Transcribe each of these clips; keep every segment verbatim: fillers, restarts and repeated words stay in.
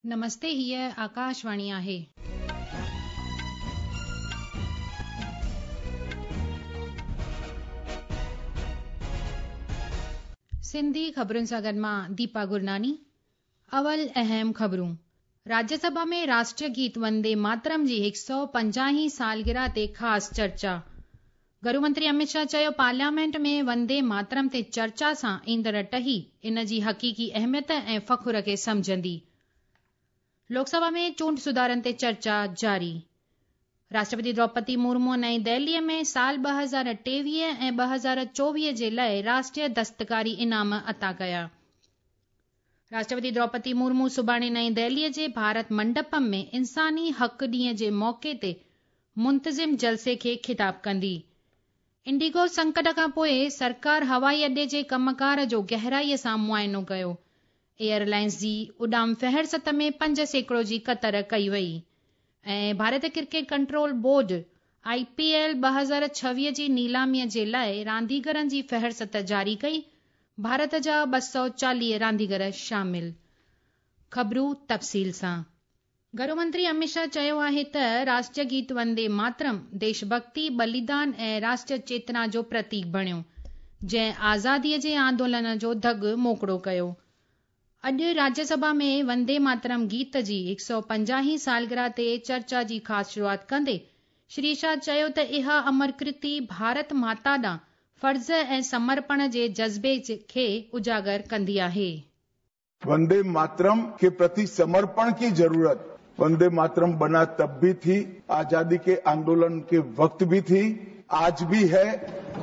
نمستي، هيء آڪاشواڻي آهي. سنڌي خبرن سان گڏ مان ديپا گرناني. اول اهم خبرون. راجيه سڀا ۾ راشٽريه گيت وندي ماترم جي هڪ سؤ پنجاهين سالگرهه تي خاص چرچا. گهرو منتري امت شاهه چيو پارليامينٽ ۾ وندي ماترم تي چرچا سان ايندڙ ٽهي ان جي حقيقي اهميت ۽ فخر کي سمجهندي. لوڪ سڀا ۾ چونڊ سڌارن تي چرچا جاري. راشٽرپتي دروپدي مرمو نئين دهليء ۾ سال ٻه هزار ٽيويهه ۽ ٻه هزار چوويهه جي لاءِ راشٽريه دستڪاري انعام عطا ڪيا. راشٽرپتي دروپدي مرمو سڀاڻي نئين دهليء جي ڀارت منڊپم ۾ انساني حق ڏينهن جي موقعي تي منتظم جلسي کي خطاب ڪندي. انڊيگو سنڪٽ کان پوءِ سرڪار هوائي اڏي جي ڪمڪار جو گهرائيءَ سان معائنو ڪيو. ايئرلائنس جي اڏام فهرست ۾ پنج سيڪڙو جي ڪتر ڪئي وئي. ۽ Bharat cricket control board I P L ٻه هزار ڇويهه جي نيلاميءَ جي لاءِ رانديگرن جي فهرست جاري ڪئي. ڀارت جا ٻه سؤ چاليهه رانديگر شامل. خبرون تفصيل سان. گهرو منتري امت شاهه چيو آهي ته راشٽريه گيت وندي ماترم ديش ڀڳتي، ٻليدان ۽ راشٽريه چيتنا جو پرتيڪ بڻيو، جنهن آزاديءَ جي آندولن جو ڌڳ موڪڙو ڪيو. اڄ راجيه سڀا ۾ وندي ماترم گيت جي هڪ سؤ پنجاهين سالگرهه تي چرچا جي خاص شروعات ڪندي شري شاهه چيو ته اها امر ڪرتي ڀارت ماتا ڏانهن فرض ۽ سمرپڻ جي جذبي کي اجاگر ڪندي آهي. वंदे मातरम के प्रति समर्पण की जरूरत वंदे मातरम बना तब भी थी, आजादी के आंदोलन के वक्त भी थी, आज भी है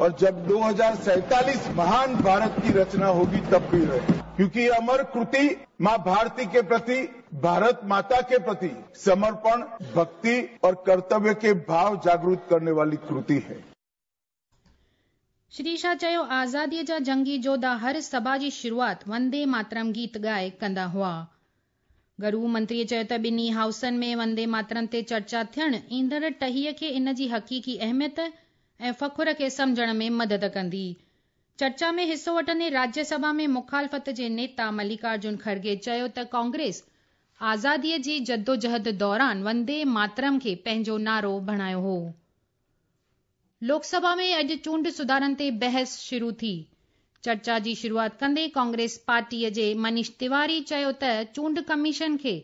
और जब दो हजार सैंतालीस महान भारत की रचना होगी तब भी रहे, क्योंकि ये अमर कृति मां भारती के प्रति, भारत माता के प्रति समर्पण, भक्ति और कर्तव्य के भाव जागृत करने वाली कृति है। श्री शाह चयो आज़ादीअ जा जंगी जोधा हर सभा जी शुरूआत वंदे मातरम गीत ॻाए कंदा हुआ। गरू मंत्रीअ चयो त ॿिन्ही हाउसनि में वंदे मातरम ते चर्चा थियणु ईंदड़ टहीअ खे इन जी हक़ीक़ी अहमियत ऐं फ़ख़्र खे सम्झण में मदद कंदी। चर्चा में हिसो वठंदे राज्य सभा में मुखालफ़त जे नेता मल्लिकार्जुन खड़गे चयो त कांग्रेस आज़ादीअ जी जदोजहद दौरान वंदे मातरम खे पंहिंजो नारो बणायो हो। लोकसभा में अॼु चूंड सुधारनि ते बहस शुरू थी। चर्चा जी शुरूआत कंदे कांग्रेस पार्टीअ जे मनीष तिवारी चयो त चूंड कमीशन खे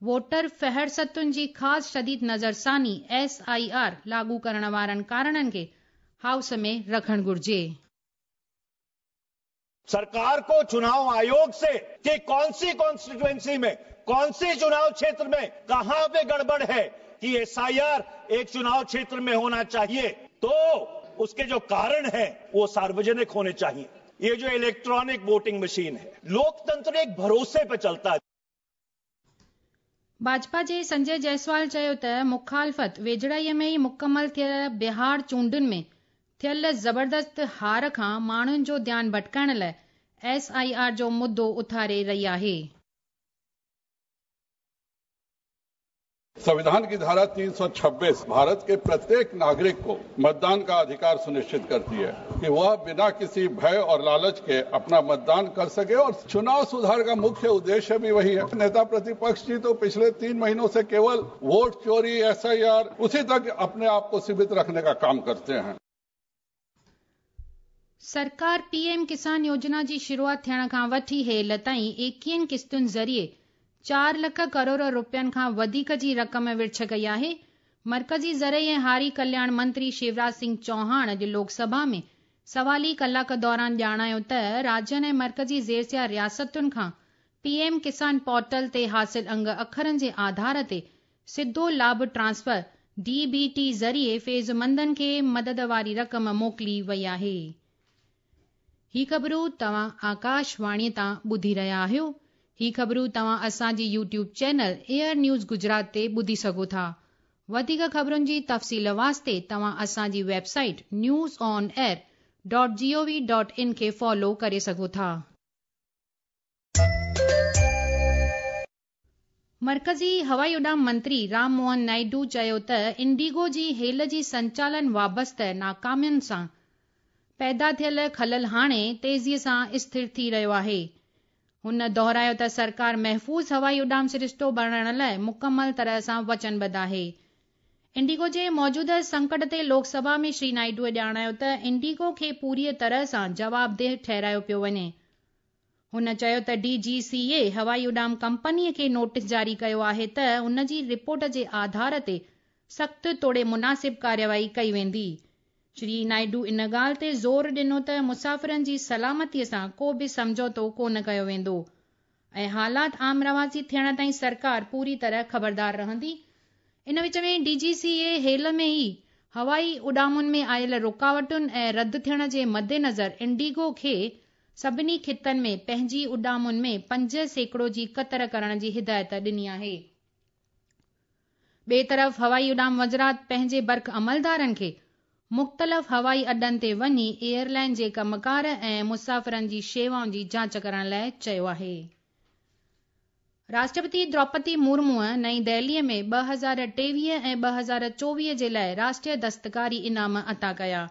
वोटर फहरिस्तुनि जी ख़ासि शदीद नज़रसानी एस I R लागू करण वारनि कारणनि खे हाउस में रखणु घुरिजे। सरकार को चुनाव आयोग से कि कौन सी कॉन्स्टिट्यूएंसी में, कौन सी चुनाव क्षेत्र में कहां पे गड़बड़ है कि एस I R एक चुनाव क्षेत्र में होना चाहिए, तो उसके जो कारण है वो सार्वजनिक होने चाहिए। ये जो इलेक्ट्रॉनिक वोटिंग मशीन है, लोकतंत्र एक भरोसे पे चलता है। भाजपा जे संजय जायसवाल चयो त मुखालफ़त वेझड़ाईअ में ई मुकमल थियल बिहार चूंडुनि में थियल ज़बरदस्त हार खां माण्हुनि जो ध्यानु भटकाइण लाइ एस I R जो मुद्दो उथारे रही आहे। संविधान की धारा तीन सौ छब्बीस भारत के प्रत्येक नागरिक को मतदान का अधिकार सुनिश्चित करती है कि वह बिना किसी भय और लालच के अपना मतदान कर सके, और चुनाव सुधार का मुख्य उद्देश्य भी वही है। नेता प्रतिपक्ष जी तो पिछले तीन महीनों से केवल वोट चोरी, एस I R, उसी तक अपने आप को सीमित रखने का काम करते हैं। सरकार पीएम किसान योजना जी शुरूआत थियण खां वठी हेल ताईं एकवीहनि किस्तुनि ज़रिए चार लख करोड़ रुपयनि खां वधीक जी रक़म विर्छ कई आहे। मर्कज़ी ज़रई ऐं हारी कल्याण मंत्री शिवराज सिंह चौहान अॼु लोकसभा में सवाली कलाक दौरान ॼाणायो त राज्यनि ऐं मर्कज़ी ज़ेरसिया रियासतुनि खां पीएम किसान पोर्टल ते हासिल अंग अखरनि जे आधार ते सिधो लाभ ट्रांसफर डी बी टी ज़रिए फ़ैज़मंदनि खे मदद वारी रक़म मोकिली वई आहे। ही ख़बरूं तव्हां आकाशवाणीअ तां ॿुधी रहिया आहियो। ही ख़बरूं तव्हां असांजी YouTube channel air news Gujarat ते ॿुधी सघो था। वधीक ख़बरुनि जी तफ़सील वास्ते तव्हां असांजी website news on air dot G O V dot in खे फॉलो करे सघो था। मर्कज़ी हवाई उॾाम मंत्री राम मोहन नायडू चयो त इंडिगो जी हेल जी संचालन वाबस्ता नाकामियुनि सां पैदा थियल ख़लल हाणे तेज़ीअ सां स्थिर थी रहियो आहे। هن دهرايو ته سرڪار محفوظ هوائي اڏام سرشتو بڻائڻ لاءِ مڪمل طرح سان وچنبڌ آهي. انڊيگو جي موجوده سنڪٽ تي لوڪ سڀا ۾ شري نائيڊوءَ ڄاڻايو ته انڊيگو کي پوريءَ طرح سان جوابده ٺهرايو پيو وڃي. هن چيو ته ڊي جي سي اي هوائي اڏام ڪمپنيءَ کي نوٽيس جاري ڪيو آهي ته ان جي رپورٽ جي آڌار تي سخت توڙي مناسب ڪارروائي ڪئي ويندي. شري نائيڊو ان ڳالهه تي زور ڏنو ته مسافرن جي سلامتيءَ سان ڪو به سمجهوتو ڪونه ڪيو ويندو ۽ حالات عام رواجي ٿيڻ تائين سرڪار پوري طرح خبردار رهندي. ان وچ ۾ ڊي جي سي اي هيل ۾ ئي هوائي اڏامن ۾ آيل رڪاوٽن ۽ رد ٿيڻ جي مدنظر انڊيگو کي سڀني خطن ۾ پنهنجي اڏامن ۾ پنج سيڪڙو جي ڪتر ڪرڻ جي هدايت ڏني آهي. ٻئي طرف هوائي اڏام وزارت پنهنجي برک عملدارن کي مختلف هوائي اڏن تي وڃي ايئرلائن جي ڪمڪار ۽ مسافرن جي شيوائن جي جاچ ڪرڻ لاءِ چيو آهي. راشٽرپتي دروپدي مرموءَ نئين دهليءَ ۾ ٻه هزار ٽيويهه ۽ ٻه هزار چوويهه جي لاءِ راشٽريه دستڪاري انعام عطا ڪيا.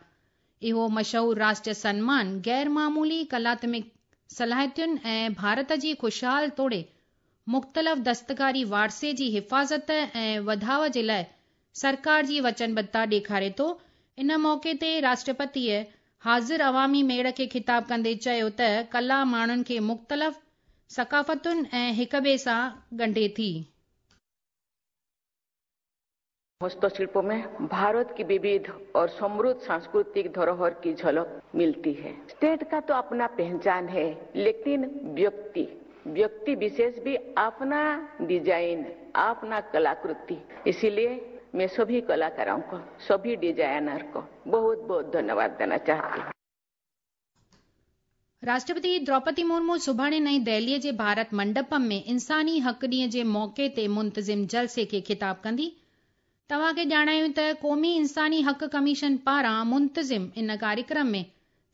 اهو مشهور راشٽريه سنمان غير معمولي ڪلاتمڪ صلاحيتن ۽ ڀارت جي خوشحال توڙي مختلف دستڪاري وارثي جي حفاظت ۽ وڌاءُ جي لاءِ سرڪار جي وچنبڌتا ڏيکاري ٿو. ان موقعي تي راشٽرپتيءَ حاضر عوامي ميڙ کي خطاب ڪندي چيو ته ڪلا ماڻهن کي مختلف ثقافتن ۽ هڪ ٻئي سان ڳنڍي ٿي. हस्तशिल्प में भारत की विविध और समृद्ध सांस्कृतिक धरोहर की झलक मिलती है। स्टेट का तो अपना पहचान है, लेकिन व्यक्ति व्यक्ति विशेष भी अपना डिजाइन, अपना कलाकृति, इसीलिए मैं सभी कलाकारों को, सभी डिजाइनर को बहुत बहुत धन्यवाद देना चाहती हूँ। राष्ट्रपति द्रौपदी मुर्मू सुभाणे नई दिल्लीअ जे भारत मंडपम में इंसानी हक़ ॾींहं जे मौक़े ते मुंतज़िम जलसे खे ख़िताब कंदी. तव्हांखे ॼाणायूं त क़ौमी इंसानी हक़ कमीशन पारां मुंतज़िम इन कार्यक्रम में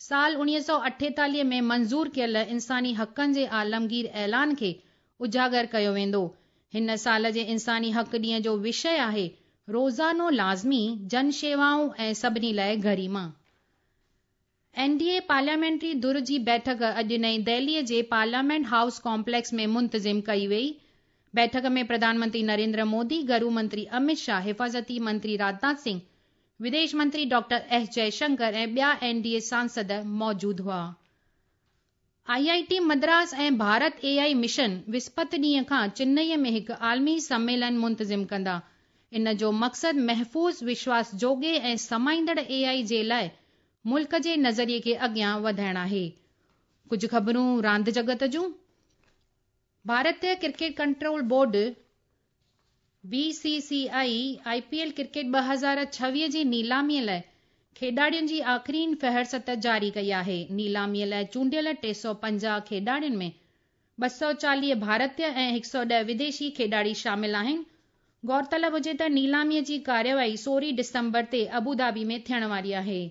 साल उणिवीह सौ अठेतालीह में मंज़ूर कयल इंसानी हक़नि जे आलमगीर ऐलान खे उजागर कयो वेंदो. हिन साल जे इंसानी हक़ ॾींहं जो विषय आहे रोज़ानो लाज़मी जन शेवाऊं ऐं सभिनी लाइ गरिमा. एन डी ए पार्लियामेंट्री धुर जी बैठक अॼु नई दिल्लीअ जे पार्लियामेंट हाउस कॉम्प्लेक्स में मुंतज़िम कई वई. बैठक में प्रधानमंत्री नरेंद्र मोदी, गृह मंत्री अमित शाह, हिफाज़ती मंत्री राजनाथ सिंह, विदेश मंत्री डॉक्टर एस जयशंकर ऐं ॿिया एन डी ए सांसद मौजूद हुआ. I I T Madras ऐं भारत ए I mission विस्पत ॾींहं खां चेन्नईअ में हिकु आलमी सम्मेलन मुंतज़िम कंदा. इन जो मक़सदु महफ़ूज़, विश्वास जोगे ऐं समाईंदड़ ए आई जे लाइ मुल्क जे नज़रिए खे अॻियां वधाइण आहे. कुझु ख़बरूं रांदि जगत जूं. भारतीय cricket control board B C C I I P L cricket ٻه هزار ڇويهه جي नीलामीअ लाइ खेॾाड़ियुनि जी आख़िरीन फ़हरिस्त जारी कई आहे. नीलामीअ लाइ चूंडियल टे सौ पंजाह खेॾाड़ियुनि में ॿ सौ चालीह भारतीय ऐं हिकु सौ ॾह विदेशी खेॾाड़ी शामिल आहिनि. गौरतलब हुजे त नीलामीअ जी कार्यवाही सोरहं डिसंबर ते अबूधाबी में थियण वारी आहे.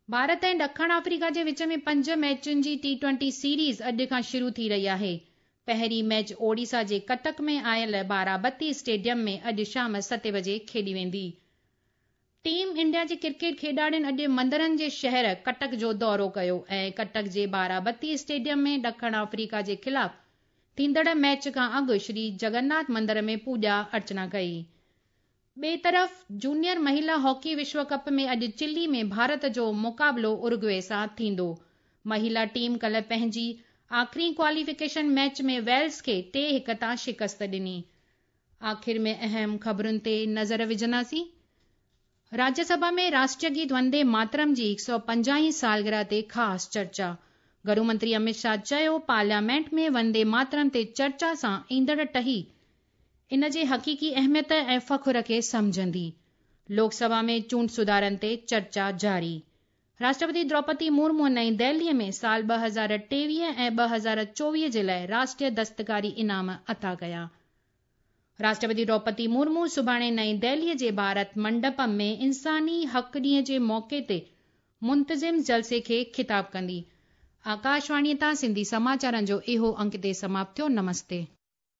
भारत ऐं ॾखण आफ्रीका जे विच में पंज मैचुनि जी टी ट्वेंटी सीरीज़ अॼु खां शुरू थी रही आहे. पहिरीं मैच ओडिशा जे कटक में आयल बाराबती स्टेडियम में अॼु शाम सते बजे खेॾी वेंदी. टीम इंडिया जे क्रिकेट खेॾाड़ियुनि अॼु मंदरनि जे शहर कटक जो दौरो कयो ऐं कटक जे बाराबती स्टेडियम में ॾखण आफ्रीका जे ख़िलाफ़ थींदड़ मैच खां अॻु श्री जगन्नाथ मंदर में पूॼा अर्चना कई. ॿिए तरफ़ जूनियर महिला हॉकी विश्व कप में अॼु चिली में भारत जो मुक़ाबिलो उरुग्वे सां थींदो. महिला टीम कल्ह पंहिंजी आख़िरी क्वालिफिकेशन मैच में वेल्स खे टे हिकु तां शिकस्त ॾिनी. आख़िर में अहम ख़बरुनि ते नज़र विझंदासीं. राज्यसभा में राष्ट्रीय गीत वंदे मातरम जी हिकु सौ पंजाहीं सालगिरह ते ख़ासि चर्चा. गृह मंत्री अमित शाह चयो पार्लियामेंट में वंदे मातरम ते चर्चा सां ईंदड़ टही इन जे हक़ीक़ी अहमियत ऐं फ़ख्र खे सम्झंदी. लोकसभा में चूंड सुधारनि ते चर्चा जारी. राष्ट्रपति द्रौपदी मुर्मू नई दिल्लीअ में साल ॿ हज़ार टेवीह ऐं ॿ हज़ार चोवीह जे लाइ राष्ट्रीय दस्तकारी इनाम अता कया. राष्ट्रपति द्रौपदी मुर्मू सुभाणे नई दिल्लीअ जे भारत मंडपम में इंसानी हक़ ॾींहं जे मौक़े ते मुंतज़िम जलसे खे ख़िताब कंदी. आकाशवाणीअ तां सिंधी समाचारनि जो इहो अंक ते समाप्त थियो. नमस्ते.